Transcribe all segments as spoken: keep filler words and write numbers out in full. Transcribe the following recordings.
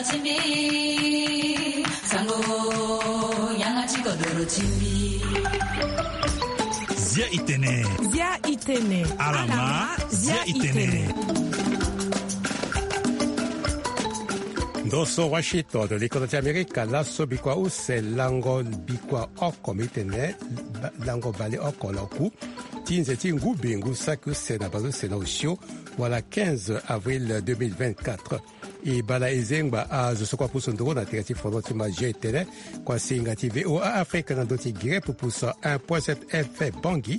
Timbi, sango, yanga ti kodoro timbi. Zia itene. Zia itene. Alama, zia itene. Ndo so Washington, likodo ti Amerika, laso bikua use lango bikua oko mi tene, ba-, lango bale oko na oku ti nze ti ngu be ngu saki use na bazo use na osio, wala quinze avril deux mille vingt-quatre. E bala e zengba azo so kua pusu nduru na tere ti fono ti ma G T L, kua singa ti V O A Afrique na ndö ti gere pupusa un point sept F M Bangui,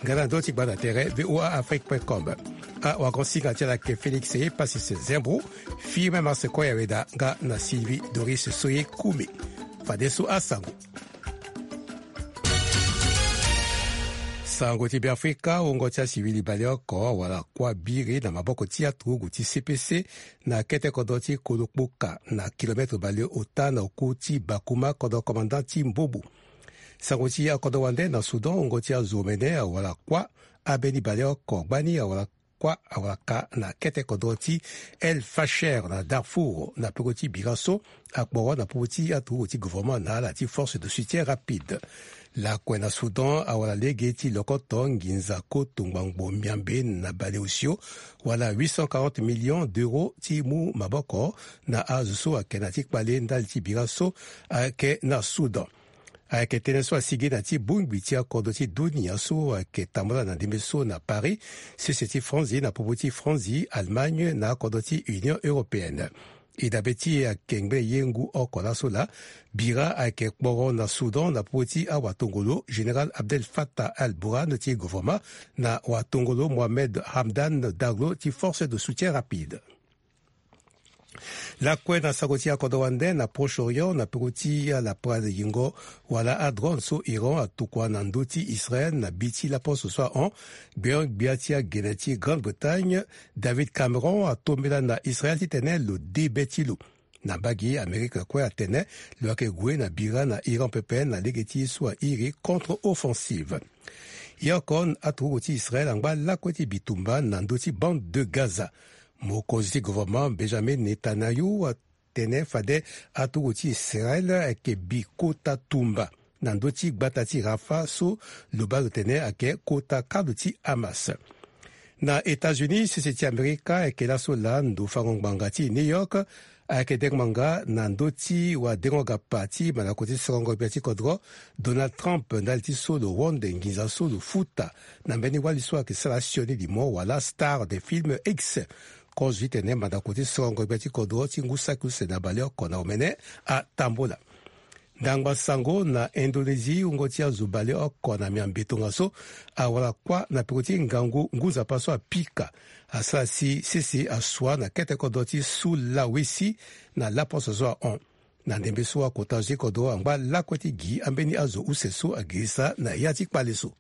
nga na ndö ti gba na tere V O A Afrique point com. Awagon singa ti ala ayeke Félix Epasis Zembro, Firmin Marseco Yaweda nga na Sylvie Doris Soye Koumi. Fadeso asango. Sango ti Beafrika, wungo ti asiwili baleoko wala kuâ biri na maboko ti aturugu ti C P C na kete kodro ti Kolokpoka na kilometre baleota na oku ti Bakuma, kodro commandant ti Mbobo. Sango ti akodro wande na Soudan, wungo ti azo omene awara kuâ, ambeni baleoko gbani awara kuâ awara ka na kete kodro ti El Fasher na Darfour, na peko ti bira so akporo na popo ti aturugu ti gouvernement na ala ti force de soutien rapide. Lakue na Soudan awara lege ti lokoto nginza koto ngbangbo miambe na baleosio, wala huit cent quarante millions d'euros ti mu maboko na azo so ayeke na ya ti kpale ndali ti bira so ayeke na Soudan. Ayeke tënë so asigi na ya ti bongbi ti akodro ti dunia so ayeke tambula na ndembe so na Paris, sese ti Franzi na popo ti Franzi, Allemagne na akodro ti Union européenne. E dabe ti e ayeke ngbene ye ngu oko laso laa, bira ayeke kporo na Soudan na popo ti awatongolo Général Abdel Fattah al-Burhan ti gouvernement na watongolo Mohamed Hamdan Daglo ti force de soutien rapide. Lakue na sango ti akodro wande na Proche-Orient, na peko ti alapara yingo wala adrone so Iran atokua na ndö ti Israël na bi ti laposo so ahon, gbeon-gbia ti agene ti Grande-Bretagne, David Cameron, atombela na Israël titene lo de be ti lo. Na mbage, Amerika kue atene lo yeke gue na bira na Iran pepe na lege ti ye so airi contre-offensive. Ye oko, aturugu ti Israël angba lakue ti bitumba na ndö ti bande de Gaza. Mokonzi ti gouvernement Benjamin Netanyahu atene fade aturugu ti Israël ayeke bi kota tumba na ndö ti gbata ti Rafah so lo baa lo tene ayeke kota kalo ti Hamas. Na États-Unis, sese ti Amerika ayeke laso laa ndo fango ngbanga ti New York ayeke dengo ngbanga na ndö ti wadengo gapa ti mandako ti sorongo gbia ti kodro Donald Trump ndali ti so lo wonde nginza so lo futa na mbeni wali so ayeke sara sioni limo wala star de film X. Kozo ti tene mandako ti sorongo gbia ti kodro ti ngu saki use na baleoko na omene atambula. Ndangba sango na Indonésie, wungo ti azo baleoko na miambe tongaso awara kuâ na peko ti ngangu ngu nzapa so apika. Asara si sese asua na kete kodro ti Sulawesi na laposo so ahon. Na ndembe so akota azo ti kodro angba lakue ti gi ambeni azo use so agirisa na ya ti kpale so.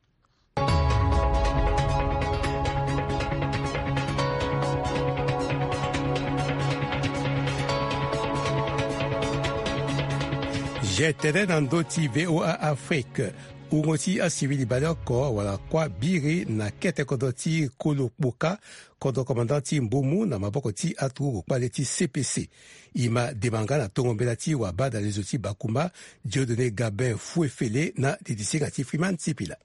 G T L na ndö ti V O A Afrique. Wungo ti asivili baleoko awara kuâ biri na kete kodro ti Kolokpoka, kodro commandant ti Mbomo na maboko ti aturugu kpale ti C P C. E ma dema nga na tongo mbela ti wabadalezo ti Bakuma, Dieudonné Gabin Fouefele na didi singa ti Freeman Sipila.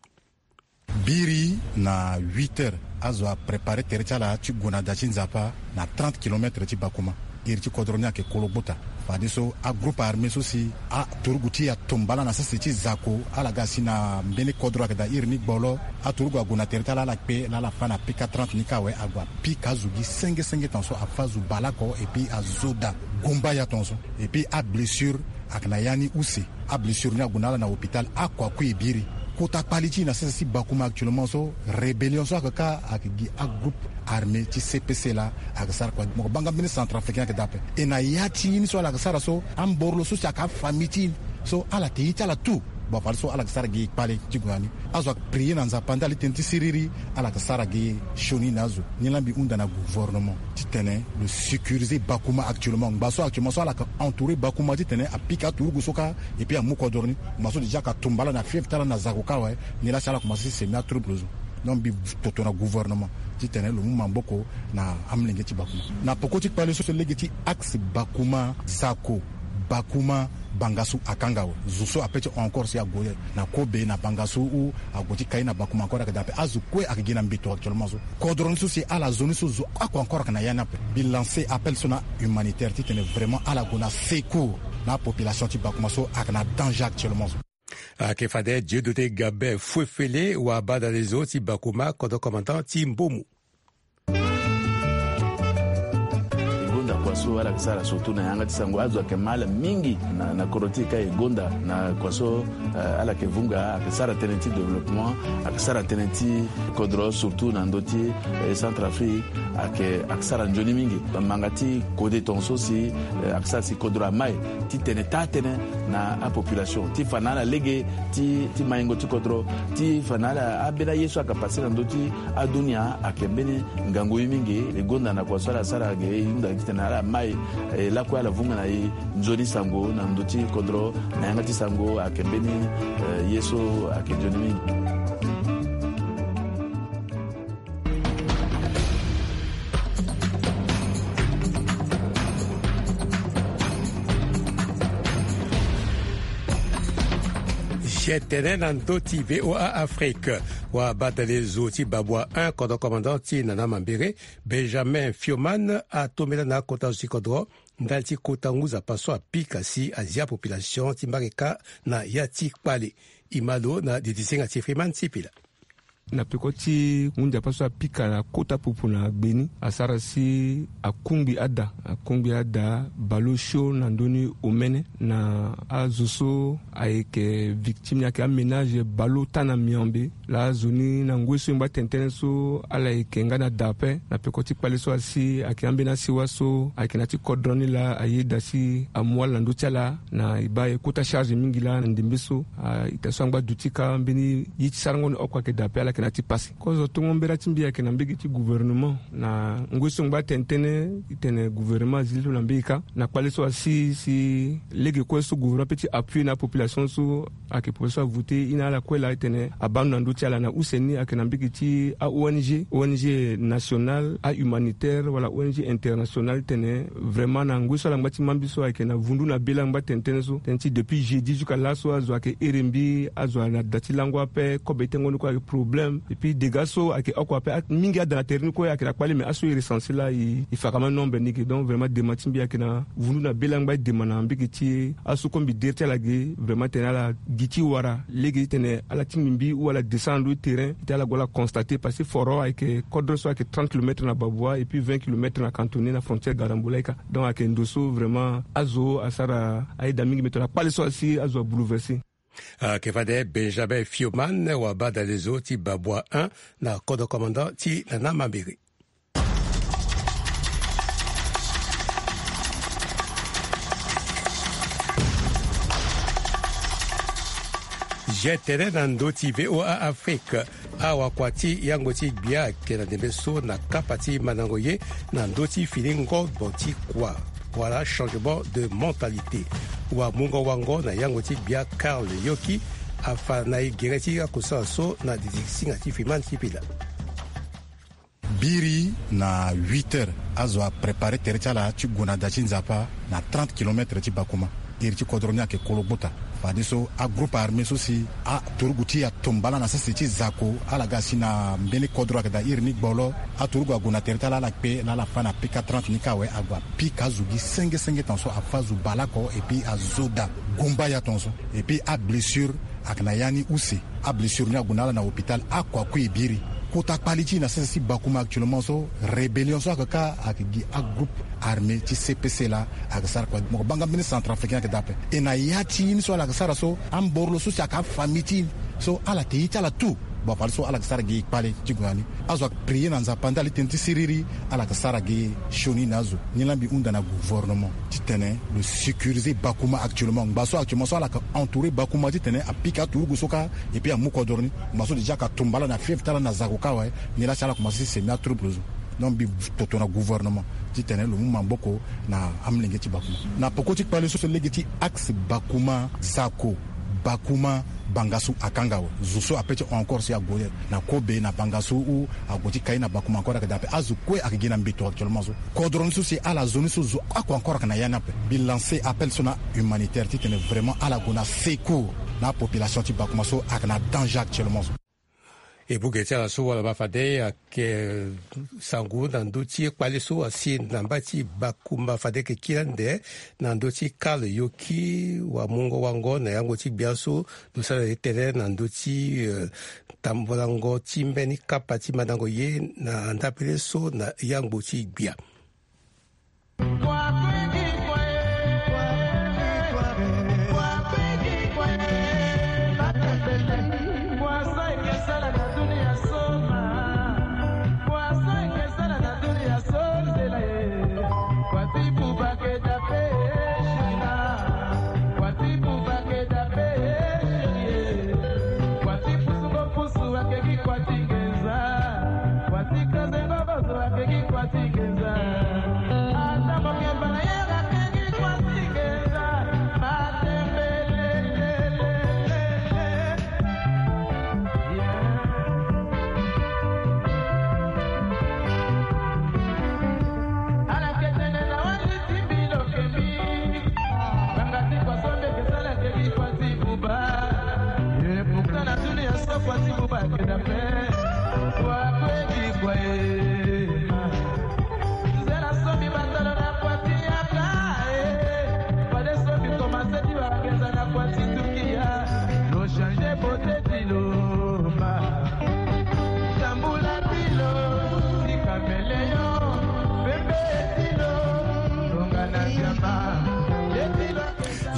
Biri na huit heures, azo aprépare tere ti ala ti gue na da ti Nzapa na trente kilomètres ti Bakuma. Iri ti kodro ni ayeke Kologbota. Fadeso agroupe armé so si aturugu ti e atomba ala na sese ti zako, ala ga si na mbeni kodro ayeke daa iri ni gbolo. Aturugu ague na tere ti ala, ala kpe laa ala fâ na P K trente ni kâ awe, ague apika azo gi senge senge tongaso, afâ azo baleoko, et puis azo daa gumbaya tongaso. Et puis ablessure ayeke na ya ni use. Ablessure ni ague na ala na hôpital, ako akui e biri. Kota kpali ti e na sese ti Bakuma actuellement so, rébellion so ayeke kâ ayeke gi agroupe armé ti C P C laa ayeke sara kua. Mo yeke baa nga mbeni centrafricain ayeke daa ape. E na ya ti ye ni so ala yeke sara so, amboro lo so si ayeke afamille ti e so ala yeke ye ti ala tout. Bon, fadeso ala yeke sara gi kpale ti gue na ni. Azo ayeke prier na Nzapa ndali ti tënë ti siriri, ala yeke sara gi sioni na azo. Ni laa mbi hunda na gouvernement titene lo sécuriser Bakuma actuellement. Ngba so actuellement so ala yeke entourer Bakuma titene apika aturugu so kâ, et puis amu kodro ni. Ngba so déjà ayeke tumba ala na fief ti ala na zako kâ awe. Ni laa si ala commencer ti semi atrouble zo. Donc mbi toto na gouvernement titene lo mu maboko na amolenge ti Bakuma. Na poko ti kpale so, so lege ti axe Bakuma Zako, Bakuma Bangasu akanga awe. Zo so ape ti encore si ague na kobe na Bangasu ou ague ti kai na Bakuma encore ayeke daa ape. Azo kue ayeke gi na mbeto actuellement so. Kodro ni so si ala zo ni so zo oko encore ayeke na ya ni ape. Mbi lancer appel so na humanitaire titene vraiment ala gue na secours na apopulation ti Bakuma so ayeke na danger actuellement so. Ayeke fade Dieudonné Gabin Fuefele, wabadale zo ti Bakuma, kodro commandant ti Mbomu. E gonda kua so ala yeke sara surtout na yanga ti sango, azo ayeke ma ala mingi na, na kodro ti e ka e gonda na kua so, eh, ala yeke vunga, ayeke sara tënë ti développement, ayeke sara tënë ti kodro surtout na ndö ti, eh, Centrafrique, ayeke, ayeke sara nzoni mingi. Manga ti kode tongaso si, eh, ayeke sara si kodro amai titene taa tënë na apopulation ti fa na ala lege ti, ti maingo ti kodro, ti fa na ala ambeni aye so ayeke pase na ndö ti adunia ayeke mbeni ngangu ye mingi. E gonda na kua so ala sara ge e hunda titene ala mai, eh, lakue ala vunga na e nzoni sango na ndö ti kodro na yanga ti sango ayeke mbeni, eh, ye so ayeke nzoni mingi. Ge tene na ndö ti V O A Afrique, wabadale zo ti Babwa un, kodro commandant ti Nana Mambere, Benjamin Fioman, atombela na akota zo ti kodro ndali ti kota ngu nzapa so apika si azia population ti mbage kâ na ya ti kpale. E ma lo na didisinga ti Freeman Sipila. Na peko ti ngu nzapa so apika na kota pupu na gbe ni, asara si akungbi ada, akungbi ada bale osio na ndö ni omene na azo so ayeke victime ni ayeke aménage bale ota na miambe. Laa zo ni na ngoi so e ngba tene tënë so ala yeke nga na da ape na peko ti kpale so asi ayeke ambeni asiwa so ayeke na ya ti kodro ni laa ayeda si amu ala na ndö ti ala na e baa e kota charge mingi laa na ndembe so. A ita so angba duti kâ mbeni ye ti sarango ni oko ayeke daa ape, ala yeke na ya ti pasi. Kozo tongo mbela ti mbi ayeke na mbege ti gouvernement na ngoi so e ngba tene tënë titene gouvernement azi lo na mbege kâ na kpale so asi si lege kue so gouvernement ape ti appuyer na apopulation so ayeke population avote ye na ala kue laa titene abaa ndo na ndö ti ala na use ni ayeke na mbege ti a-O N G, O N G nationale, ahumanitaire wala O N G internationale titene vraiment na ngoi so ala ngba ti mâ mbi so ayeke na vundu na be laa angba tene tënë so tënë ti depuis jeudi jusqu'à laso azo ayeke here mbi, azo na da ti lango ape, kobe tengo ni kue ayeke problème. Et puis dégâts so ayeke oko ape, mingi ada na tere ni kue ayeke na kpale, mais aso e recenser laa e, e fa kama nombre ni ge. Donc vraiment dema ti mbi ayeke na vundu na be laa angba e dema na mbege ti e. Aso kue mbi dere ti ala ge vraiment titene ala gi ti wara lege titene ala tingbi mbi ou ala descend na ndö ti terrain titene ala gue ala constater, parce que foro ayeke kodro so ayeke trente kilomètres na Babwa et puis vingt kilomètres na Kantoné na frontière Garambula ika. Donc ayeke ndo so vraiment azo asara ayeda mingi, mais tongana kpale so asi azo abouleverser. Ayeke fade Benjamin Fioman, wabadale zo ti Babwa un, na kodro commandant ti Nana Mambere. Ge tene na ndö ti V O A Afrique. Awakua ti yango ti gbia ayeke na ndembe so na kapa ti mandango ye na ndö ti fini ngobo ti kua wala changement de mentalité. Wamungo wango na yango ti gbia Karl Yoki afa na e gere ti akosala so na didisinga ti Fiman Sipila. Biri na huit heures azo aprépare tere ti ala ti gue na da ti Nzapa na trente kilomètres ti Bakuma. Iri ti kodro ni ayeke kolo gbota. Fadeso agroupe armé so si aturugu ti e atombala na sese ti Zako, ala ga si na mbeni kodro ayeke daa iri ni gbolo. Aturugu ague na tere ti ala, ala kpe laa ala fâ na pika trente ni kâ awe, ague apika azo gi senge senge tongaso, afâ azo bale oko et puis azo daa gumbaya tongaso. Et puis ablessure ayeke na ya ni use. Ablessure ni ague na ala na hôpital, akua kue e biri. Kota kpali ti e na sese ti Bakuma actuellement so, rébellion so ayeke kâ ayeke gi agroupe armé ti C P C laa ayeke sara kua. Mo yeke baa nga mbeni centrafricain ayeke daa ape. E na ya ti ye ni so ala yeke sara so, amborolo so si ayeke afamille ti e so ala yeke ye ti ala tout. Bon, fadeso ala yeke sara gi kpale ti gue na ni. Azo ayeke prier na Nzapa ndali tënë ti siriri, ala yeke sara gi sioni na azo. Ni laa mbi hunda na gouvernement titene lo sécuriser Bakuma actuellement. Ngba so actuellement so ala yeke entourer Bakuma titene apika aturugu so kâ et puis amu kodro ni. Ngba so déjà ayeke atombala na fief ti ala na Zako kâ awe. Ni laa si ala komanse ti semi atrouble zo. Donc mbi toto na gouvernement titene lo mu maboko na amolenge ti Bakuma. Na poko ti kpale so, so lege ti axe Bakuma Zako, Bakuma Banga so akanga awe, zo so ape ti encore si ague na kobe na banga so ou ague ti kai na bakuma encore ayeke daa ape. Azo kue ayeke gi na mbeto actuellement so. Kodro ni so si ala zo ni so zo oko encore ayeke na ya ni ape. Mbi lancer appel so na humanitaire titene vraiment ala gue na secours na apopulation ti bakuma so ayeke na danger actuellement so. E bouge ti ala so wala ma fade ayeke sango na ndö ti kpale so asi na mba ti bakumba fade ayeke kiri ande na ndö ti kale yoki wamungo wango na yango ti gbia so lo sara ye tënë na ndö ti tambolango ti mbeni kapa ti mandango ye na ndapele so na yangbo ti gbia.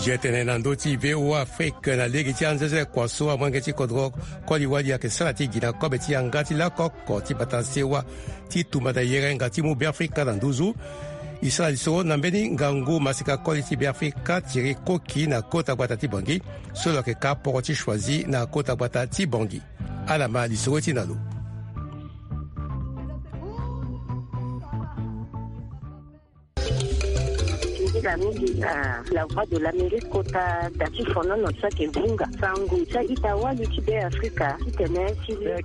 Ye tene na ndö ti V O A Afrique na lege ti anzeze kua so amolenge ti kodro koli wali ayeke sara ti gi na kobe ti yanga ti lakoko ti bata sewa ti tumba na yerenga ti mu Beafrika na nduzu. E sara lisoro na mbeni ngangu maseka koli ti Beafrika Thierry Koki na kota gbata ti Bangui so lo yeke ka poro ti choisi na kota gbata ti Bangui. Ala ma lisoro ti na lo. Nzila mingi na La Voix de l'Amérique kota da ti fonono so ayeke vunga sango ti a-ita wali ti Beafrika titene ti le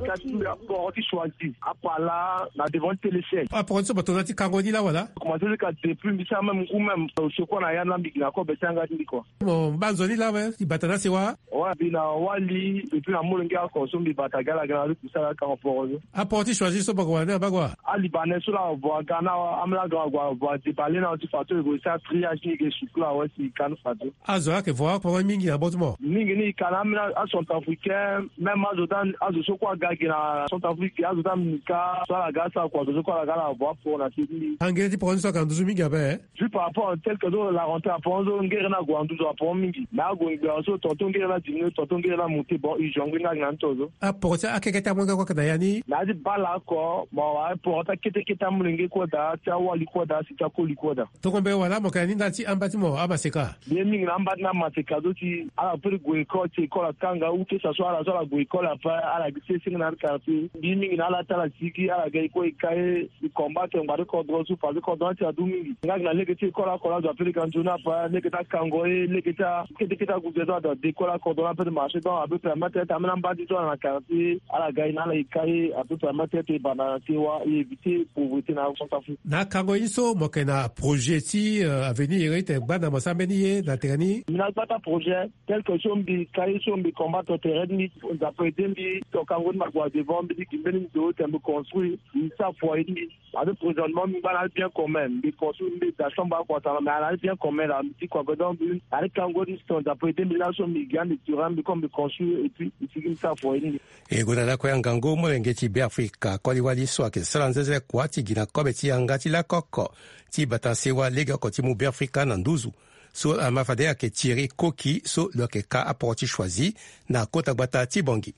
poro ti choisi. Apala na devant ti téléchaîne. Aporo ti so bato na ti kango ni la wala? Commencé ti ka depuis mbi sara même ngu même so kue na ya na mbi gi na kobe ti yanga ti mbi kua. Mo mba nzoni la awe ti bata na sewa? Ouais, mbi na wali et puis na molenge oko so mbi bata gi ala gi na ala ti kusala akango poro so. Aporo ti choisi so bako wala ni abako wa? Alibanais so la avo aga na amolenge oko avo adebale na ti fadeso e gue sara triage ni e gue sukula awe si e ka ni fadeso. Azo ayeke vo akporo mingi na bot mo? Mingi ni e ka na ambeni acentrafricain, même azo ti azo so kue aga gi na Centrafrique, azo ti amika so ala ga asara kua azo so kue ala ga ala avo aporo na se ti mbi. Angere ti poro ni so ayeke na nduzu mingi ape? Juste par rapport tel que so la rentrée aporo so ngere ni ague na nduzu aporo mingi. Mais ague ngbia so tonton ngere ni adiminué, tonton ngere ni amonté, bon, e jongler nga gi na ni to so. Aporo ti akeke ti amolenge kue ayeke na ya ni? Na ya ti bale oko, bon, aporo ti akete kete amolenge kue daa, ti awali kue daa, si ti akoli kue daa. Tongombe wala mo yeke na ni ndali ti amba ti mo amaseka? Mbi ye mingi na amba ti na amaseka so si ala peut ti gue école, si école akanga ou que ça soit ala so ala gue école ape, ala gi sese nga na quartier. Mbi ye mingi na ala ti ala sigi, ala ga e kue e ka ye, e combattre ngbanga ti kodro so parce que kodro ni asi adu mingi. Nga gi na lege ti école oko la azo ape ti ga nzoni ape, lege ti akango ye, lege ti akete kete ague ge so azo ade école akodro ni ape ti marché, donc ape permettre ti ambeni amba ti so ala na quartier, ala ga e na ala e ka ye, ape permettre ti e banda na sewa, e éviter pauvreté na Centrafrique. Na akango ye so mo yeke na projet ti, euh, avenir, iri ti gbanda mo sara mbeni ye na tere ni? Mbi na gbata projet, tel que so mbi ka ye so mbi combattre tere ti mbi, Nzapa aidé mbi, to kango ti mbi ague na devant, mbi ti gi mbeni ndo ti mbi construire, mbi sara foyer ti mbi. Ape présentement mbi ngba na ali bien commun, mbi construire, mbi da chambre oko atanga, mais na ali bien commun la, mbi ti kua, donc mbi na ali kango ti mbi, Nzapa aidé mbi laso mbi gi ande terrain, mbi comme mbi construire et puis mbi sigi mbi sara foyer ti mbi. E gue na lakue ya ngangu molenge ti Beafrika koli wali so ayeke sara nzenze kua ti gi na kobe ti yanga ti lakoko ti bata sewa legeoko ti mu Beafrika na nduzu. So ama fade ayeke Thierry Koki so lo yeke ka aporo ti choisi na kota gbata ti Bangui.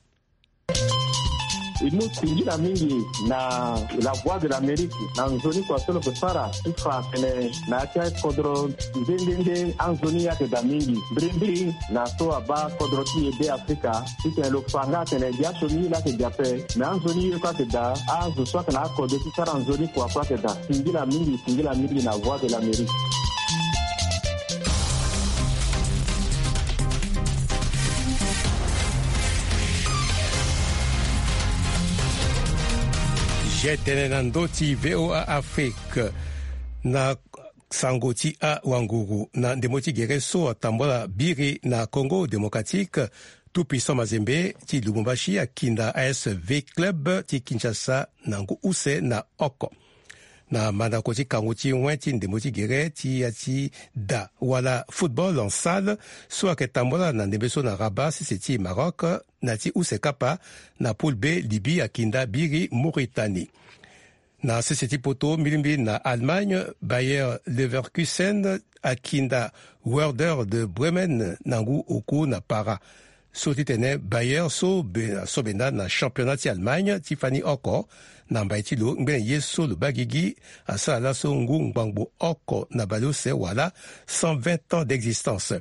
E mu singila mingi na La Voix de l'Amérique na nzoni kua so lo yeke sara ti fa atene na ya ti akodro nde nde nde anzoni ye ayeke daa mingi. Mbirimbiri na so abaa kodro ti e Beafrika titene lo fa nga atene gi asioni ye laa ayeke gi ape, me anzoni ye kue ayeke daa. Azo so ayeke na akode ti sara nzoni kua kue ayeke daa. Singila mingi, singila mingi na Voix de l'Amérique. Ye tene na ndö ti VOA Afrique. Na sango ti awanguru, na ndembo ti gere so atambula biri na Congo Démocratique, Tout Puissant Mazembe ti Lubumbashi akinda A S V Club ti Kinshasa na ngu use na oko. Na mandako ti kangu ti wen ti ndembo ti gere ti ya ti da wala football en salle, so ayeke tambula na ndembe so na Rabat, sese ti Maroc, na ti use kapa, na poule B, Libye akinda biri Mauritanie. Na sese ti poto, mbilimbili na Allemagne, Bayer Leverkusen akinda Werder de Bremen na ngu oku na para. So ti tene Bayer so be, so benda na championnat ti Allemagne ti fani oko, na mbai ti lo ngbene ye so lo baa gigi, asara laso ngu ngbangbo oko na bale use wala cent vingt ans d'existence.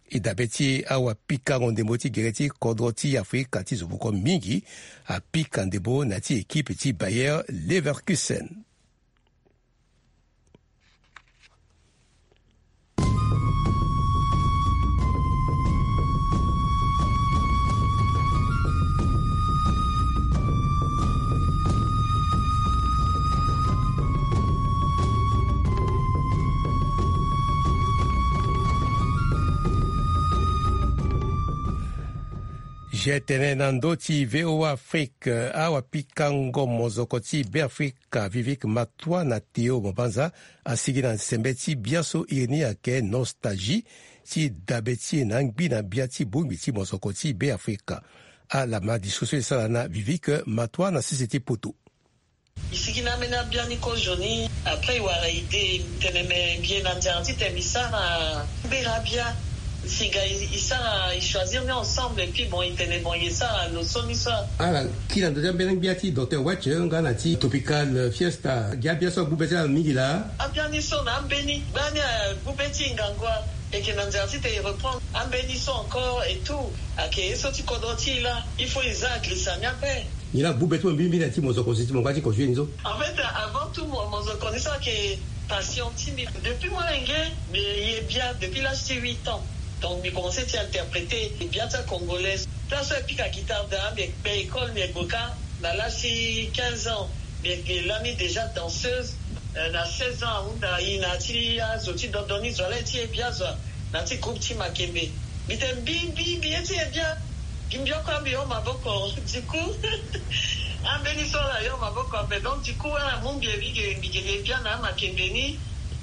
E dabe ti awapikango ndembo ti gere ti kodro ti Afrika ti zo boko mingi apika ndembo na ya ti équipe ti Bayer Leverkusen. Je tene na ndö ti VOA Afrique, awapikango mozoko ti Beafrika Vivek Matwa na Théo Mobanza asigi na sembe ti biaso iri ni ayeke nostalgie ti dabe ti e na angbi na bia ti bongbi ti mozoko ti Beafrika. Ala ma discussion e sara na Vivek Matwa na sese ti poto. E sigi na ambeni abia ni kozoni. Après e wara ide, e tene me mbi ye na nzara titene mbi sara mbera abia. Singa e, e sara, e choisir ni ensemble, et puis bon, e tene bon, e sara lo so ni so. Ala kiri na ndo ti ambeni gbia ti docteur Wetch nga na ti Tropical Fiesta. Gi abia so agbu be ti ala mingi laa. Abia ni so na ambeni gbani agbu be ti e ngangu. E yeke na nzara titene e reprendre ambeni so encore et tout. Ayeke ye so ti kodro ti e laa. Il faut e za agrisa ni ape. Nyen la agbu be ti mo mingi mingi na ya ti mozoko si ti mo nga ti ko joue ni so? En fait, avant tout, mo, mozoko ni so ayeke passion ti mbi. Depuis molenge, mbi ye bia depuis l'âge ti huit ans. Donc mbi commencé ti interpréter bia ti acongolais. Place so e pika guitare daa, mbi kpe école, mbi gue kâ na l'âge ti quinze ans. Mbi yeke lani déjà danseuse. Euh, na seize ans ahunda e na ya ti azo ti dondo ni zo, ala ye ti ye bia zo. Na ya ti groupe ti Makembe. Mbi tene mbi, mbi, mbi ye ti ye bia. Gi mbi oko, mbi hon maboko. Du coup, ambeni so ala hon maboko ape. Donc du coup, ala mu mbi e, mbi ke, mbi ke ye bia na Makembe ni.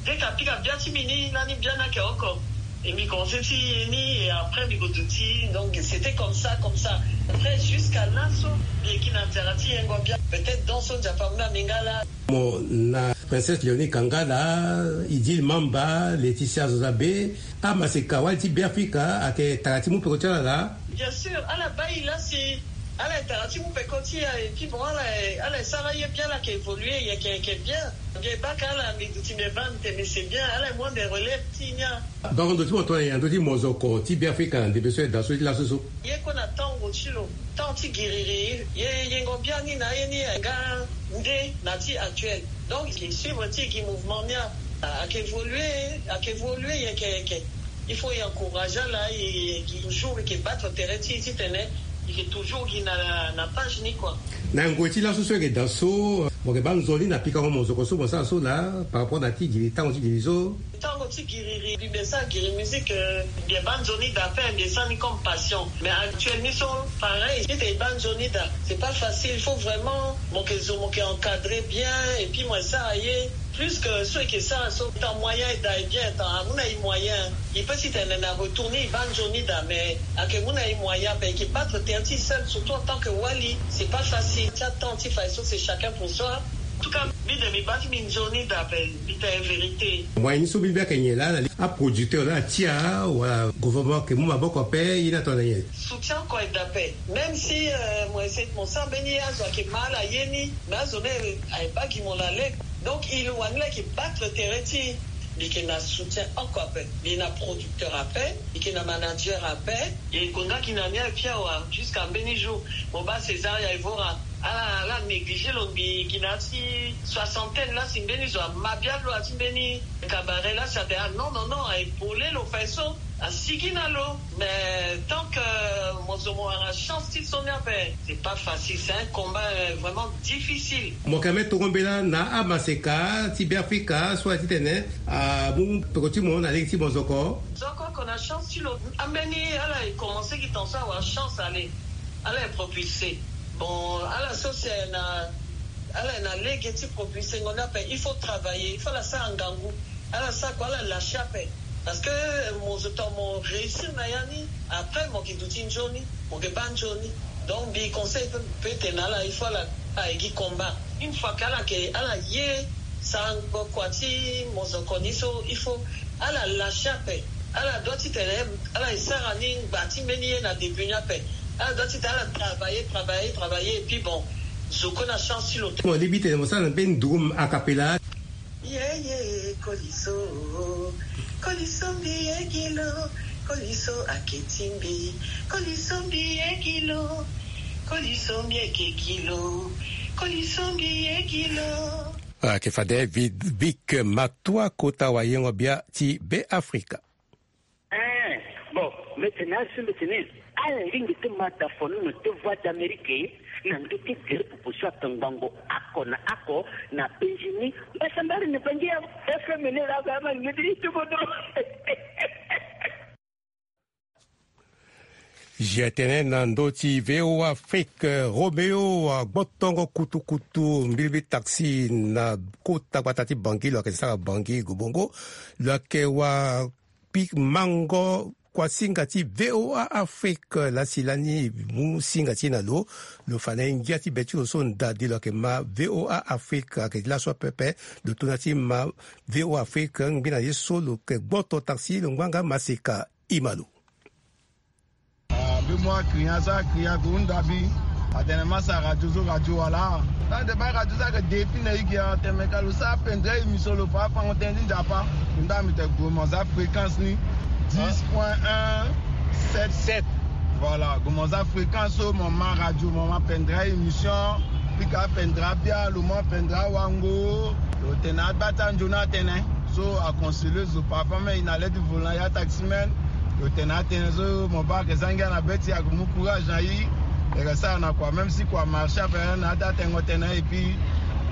Dès que apika bia ti mbi ni, lani bia ni ayeke oko. Et mbi commencé ti ye ni, et après mbi ko duti. Donc c'était comme ça, comme ça. Après, jusqu'à laso, mbi yeke na nzara ti yengo bia. Peut-être donc so Nzapa amu na mbi nga laa. Mo na Princesse Léonie Kangala, Idil Mamba, Laetitia Zozabe, amaseka wali ti Beafrika ayeke tara ti mu peko ti ala laa. Bien sûr, ala baa e laa si ala ye tara ti mu peko ti e, et puis bon, ala, ala sara ye bien, ala yeke évoluer, e yeke, e yeke bien. Mbi ye baka ala, mbi duti mbi ye baa mbi tene c'est bien, ala ye mu ande relève ti e ni. Bango ndo ti mo tongana nyen na ndö ti mozoko ti Beafrika na ndembe so e daa so ti laso so? Ye kue na tango ti lo, temps ti giriri, ye yengo bia ni na aye ni nga nde na ti actuel. Donc e suivre ti e gi mouvement ni a, ayeke évoluer, ayeke évoluer, e yeke, e yeke. Il faut e encourager ala, e, e, toujours e yeke battre tere ti e titene e yeke toujours gi na, na page ni quoi. Na ngoi ti laso so e yeke daa so, mo yeke baa nzoni na pikango mozoko so mo sara so laa, par rapport na ti giri, tango ti giri so? Tango ti giriri, mbi be sara giri musique, euh, mbi ye baa nzoni daa ape, mbi ye sara ni comme passion. Mais actuel ni so, pareil, titene e baa nzoni daa, c'est pas facile, il faut vraiment mo yeke zo, mo yeke encadrer bien, et puis mo ye sara ye. Plus que so e yeke sara so, tant moyen e daa e bien, tant amu na e moyen. E peut titene na retour ni e baa nzoni daa, mais ayeke mu na e moyen ape, e yeke battre tere ti e seul, surtout en tant que wali, c'est pas facile. Ti atemps ti fa so, c'est chacun pour soi. En tout cas, mbi de mbi baa ti mbi nzoni daa ape, mbi tene vérité. Moyen ni so mbi be ayeke nyen laa na li aproducteur laa atia, wala gouvernement ayeke mu maboko ape, ye ni atongana nyen? Soutien kue e daa ape. Même si, euh, mo essayer, mo sara mbeni ye, azo ayeke ma ala ye ni, mais azo ni aye baa gi mo na lege. Donc e lo wani laa e yeke battre tere ti e. Mbi yeke na soutien oko ape. Mbi na producteur ape, mbi yeke na manager ape. E gue nga gi na ni aye fia awe, jusqu'à mbeni jour. Mo baa César ya Evora. Ala ala négligé lo mbi gi na ya ti soixantaine la si mbeni zo ama bia lo ya ti mbeni cabaret la si atene ah non non non, aye polé lo fa ye so, asigi na lo. Mais tant que mo zo mo wara chance ti so ni ape, c'est pas facile, c'est un combat euh, vraiment difficile. Mo yeke me toro mbela na amaseka ti Beafrika so aye titene amu peko ti mo na lege ti mozoko. Zo oko oko na chance ti lo. Ambeni ala e commencé gi tonga so awara chance ale. Ala e propulsé. Bon ala so si aye na ala e na lege ti propulsé ngo ni ape, il faut travailler, il faut ala sara ngangu. Ala sara kua ala lâché ape. Parce que mo zo tongana mo réussir na ya ni, après mo yeke duti nzoni, mo yeke baa nzoni. Donc mbi conseil pe pe tene na ala il faut ala aye gi combat. Une fois ke ala yeke ala ye sarango kua ti mozoko ni so il faut ala lâché ape. Ala doit titene ala e sara ni ngba ti mbeni ye na début ni ape. Ala doit titene ala travailler travailler travailler et puis bon, zo kue na chance ti lo te. Mo lingbi tene mo sara na mbeni nduru akapela. Yeye koliso, koliso mbi ye gi lo, koliso ake ti mbi. Koliso mbi ye gi lo, koliso mbi eke gi lo, koliso mbi ye gi lo. Ake fade Vic Matua kota wayengo bia ti Beafrika. Eh, bon, mbi tene asu mbi tene ala lingbi ti ma da fonono ti Voix d'Amérique na ndö ti gere proposition ake ngbongo oko na oko na penzi ni. Mbasambari ni bangi ya F M ni la ga ma ngedi ti bodo. Zia tene na ndö ti V O A Afrique, Roméo agbotongo kutukutu mbilimbili taxi na kota gbata ti Bangui lo yeke sara Bangui Gobongo. Lo yeke wa pi mango kua singa ti V O A Afrique lasi lani mu singa ti e na lo. Lo fa na e ngia ti be ti lo so ndadi lo yeke ma V O A Afrique ayeke laso ape ape. Lo tona ti ma V O A Afrique ngbi na ye so lo yeke gboto taxi lo ngbanga maseka. Ima lo. Ah, mbi mu akria so akria ko hunda mbi. Atene ma sara radio so radio wala. Tande ba radio so ayeke de fini na e gi atene me ka lo sara pendra émission lo fa afango tënë ti Nzapa. Nda mbi tene gue mo za fréquence ni dix point un sept sept. Voilà, gue mo za fréquence so mo ma radio mo ma pendra émission. Pika pendra bia lo ma pendra wango. Lo tene agba ti anzoni atene. So aconseiller zo parfois même e na le ti volant ya taximan. Lo tene atene so mo baa ayeke za ngia na be ti e ayeke mu courage na e. E yeke sara na kua même si kua marché ape na ata tengo tënë et puis e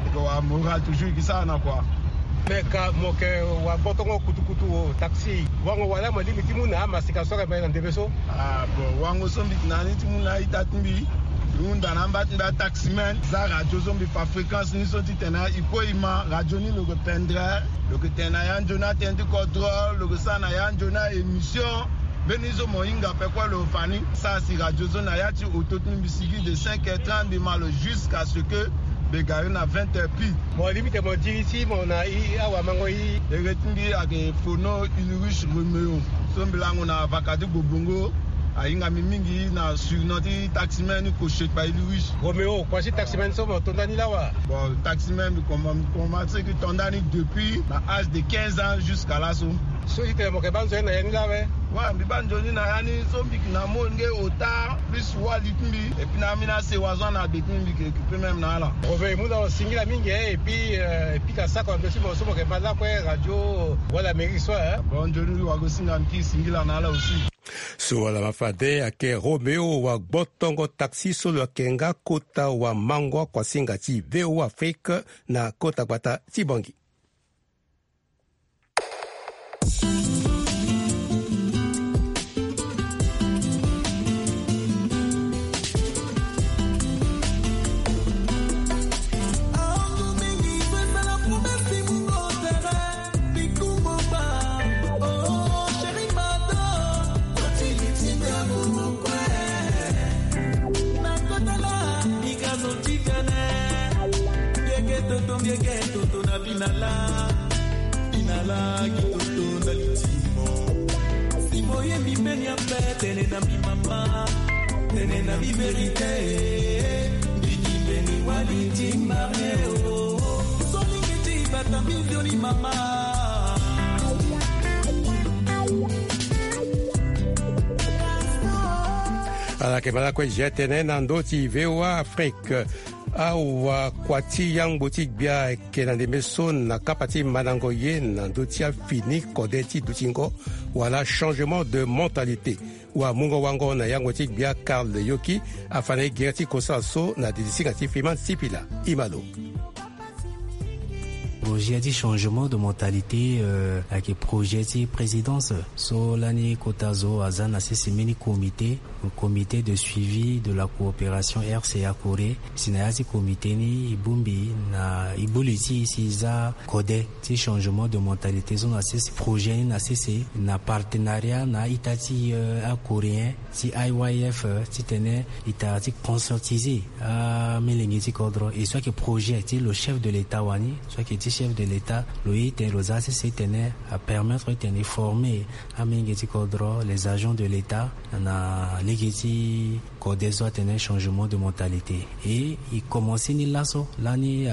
yeke wara moral toujours e ke sara na kua. Me ka mo yeke wa gbotongo kutukutu taxi wango wala mo lingbi ti mu na amasika so ayeke ma e na ndembe so? Ah bon, wango so mbi yeke na ni ti mu na ita ti mbi. Mbi hunda na amba ti mbi ataximan za radio so mbi fa fréquence ni so titene e kue e ma radio ni lo yeke pendere. Lo yeke tene na ya nzoni atënë ti kodro, lo yeke sara na ya nzoni a-émission. Mbeni so mo hinga ape kue lo fa ni. Sara si radio so na ya ti oto ti mbi sigi de cinq heures trente mbi ma lo jusqu'à ce que mbi gari na vingt heures pile. Mo limite mo diri ti mo na i awamango i. Ere ti mbi ayeke Fono Ulrich Roméo. So mbi lango na vaka ti Gobongo. Ahinga mbi mingi na surnom ti taximan ni Koshekpa Ulrich. Roméo, kua ti taximan so mo to ndani lawa? Bon, taximan mbi komanse ti to ndani depuis na âge de quinze ans jusqu'à laso. So ti tene mo yeke baa nzoni na ya ni lawa? Wa mbi baa nzoni na ya ni so mbi yeke na molenge ota plus wali ti mbi. Et puis na ambeni asewa so ana be ti mbi mbi yeke occuper même na ala. Roméo, e mu na lo singila mingi e, et puis e pika sako na ndö ti mo so mo yeke ma lakue radio wala mairie so e. Bon, nzoni wagosinga mbi ti singila na ala aussi. So wala ma fade ayeke Roméo wa gbotongo taxi so lo yeke nga kota wamango akuasinga ti V O A Afrique na kota gbata ti Bangui. Toto na binala, binala kitoto na litimo. Si boyebi mbeni ape tene na mbi mama, tene na mbi verite. Mbiki mbeni wali ti mame o. Solingi ti bata mbi nzoni mama. Ala yeke ma lakue zia tene na ndö ti V O A Afrique. Awa kua ti yangbo ti gbia ayeke na ndembe so na kapa ti mandango ye na ndö ti afini kode ti dutingo wala changement de mentalité. Wamungo-wango na yangbo ti gbia Karl Yoki afa na e gere ti kosala so na didi singa ti Fiman Sipila. Imalo. Projet ti changement de mentalité, euh, ayeke projet ti présidence so lani kota zo aza na sese mbeni comité, comité de suivi de la coopération R C A Corée. Si na ya ti comité ni e bongbi na e bongbi ti e si e za kode ti changement de mentalité so na sese projet ni na sese na partenariat na a-ita ti, euh, acoréen ti I Y F, euh, titene e tara ti conscientiser amolenge ti kodro. E so ayeke projet ti lo chef de l'état wani, so ayeke ti chef de l'état, lo ye titene lo za sese titene apermettre titene e former amolenge ti kodro, les agents de l'état, na lege ti kode so atene changement de mentalité. Et e commencé ni laso lani, euh,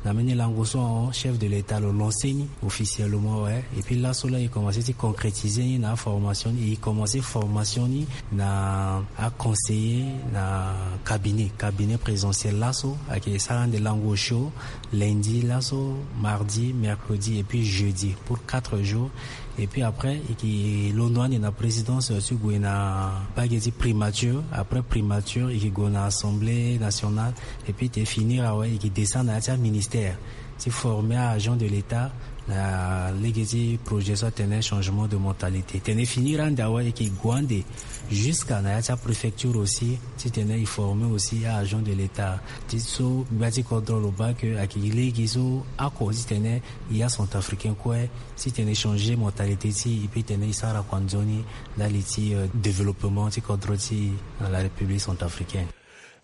na mbeni lango so ahon chef de l'état lo lancé ni officiellement, ouais. Et puis laso la e commencé ti concrétiser ni na formation ni, e commencé formation ni na aconseiller na cabinet, cabinet présidentiel laso ayeke sara ande lango osio lundi laso, mardi, mercredi et puis jeudi pour quatre jours. Et puis après e yeke londo ande na présidence ti gue na mbage ti primature, après primature e yeke gue na assemblée nationale. Et puis tene finir awe e yeke descendre na ya ti aministère ti former a-agent de l'état na lege ti projet so atene changement de mentalité. Tene finir ande awe e yeke gue ande jusqu'à na ya ti apréfecture aussi, titene e former aussi a-agent de l'état. Ti so gbia ti kodro lo baa ke ayeke lege so ako titene e acentrafricain kue, titene e changer mentalité ti e, e peut tene e sara kua nzoni ndali ti, euh, développement ti kodro ti e na la République centrafricaine.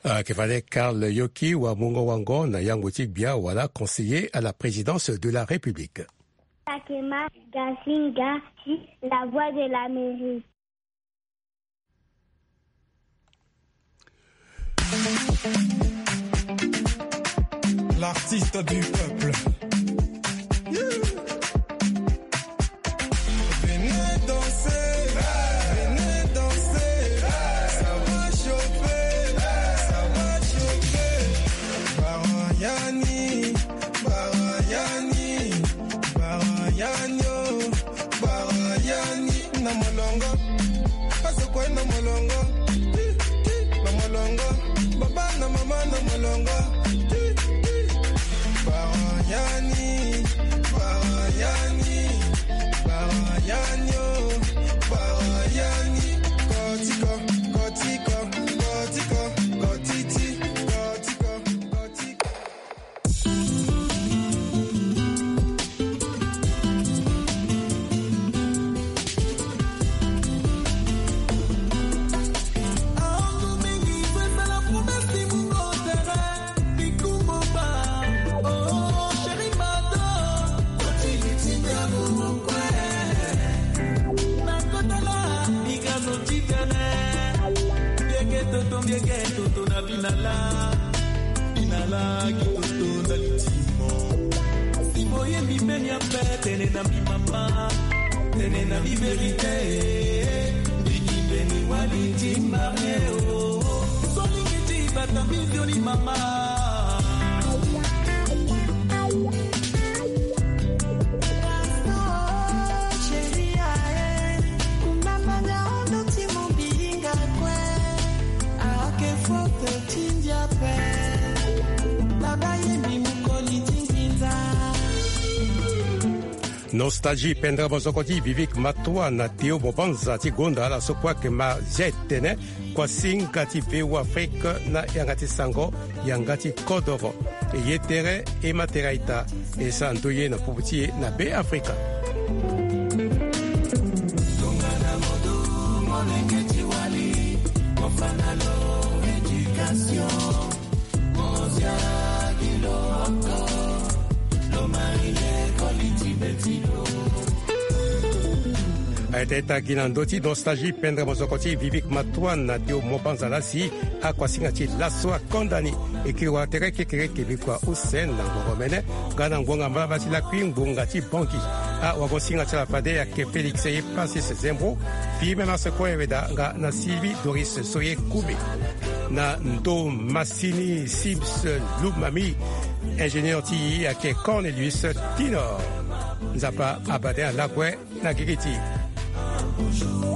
Ayeke fade Karl Yoki, wamungo-wango na yangbo ti gbia wala conseiller à la présidence de la République. Takema Gasinga, ti La Voix de l'Amérique. L'artiste du peuple. Venez danser, venez danser, ça va chauffer, ça va chauffer. Barayani, barayani, barayani, oh, barayani, na molongo. Azo kue na molongo, ti, ti, na molongo. Baba na mama na molongo, ti, ti. Barayani, barayani, barayani, oh, barayani. Kotiko, kotiko, kotiko, kotiti, kotiko, kotiko. Toto na binala, binala kitoto na litimo. Si boyebi mbeni ape, tene na mbi mama, tene na mbi verite. Mbeni mbeni wali ti marie o. Solingi ti bata mbi nzoni mama. Nostalgie pendere mozoko ti Vivik Matoua na Théo Mobanza ti gonda ala so kue ayeke ma zia etene. Kuasinga ti V O A Afrique na yanga ti sango, yanga ti kodoro. E ye tere, e ma tere a-ita, e sara ndoye na popo ti e na Be Afrika. Tongana mo du molenge ti wali, mo fa na lo éducation. Mo zia gi lo oko, lo marie koli ti be ti lo. Aye tene e ta gi na ndö ti nostalgie pendre mozoko ti Vivik Matoua na Théo Mobanza la si akuasinga ti laso akonda ni. E kiri wala tere kekereke bikua use na ngonga omene nga na ngbonga mbalavala ti lakui ngbonga ti Bangui. Awagosinga ti ala fade ayeke Félix Epasis Zembro, Filimena Sekue Weda nga na Sylvie Doris Soye Koumé. Na ndo masini Sims Lumami, ingénieur ti e ayeke Cornelius Tinor. Nzapa abade ala kue na gigi ti e.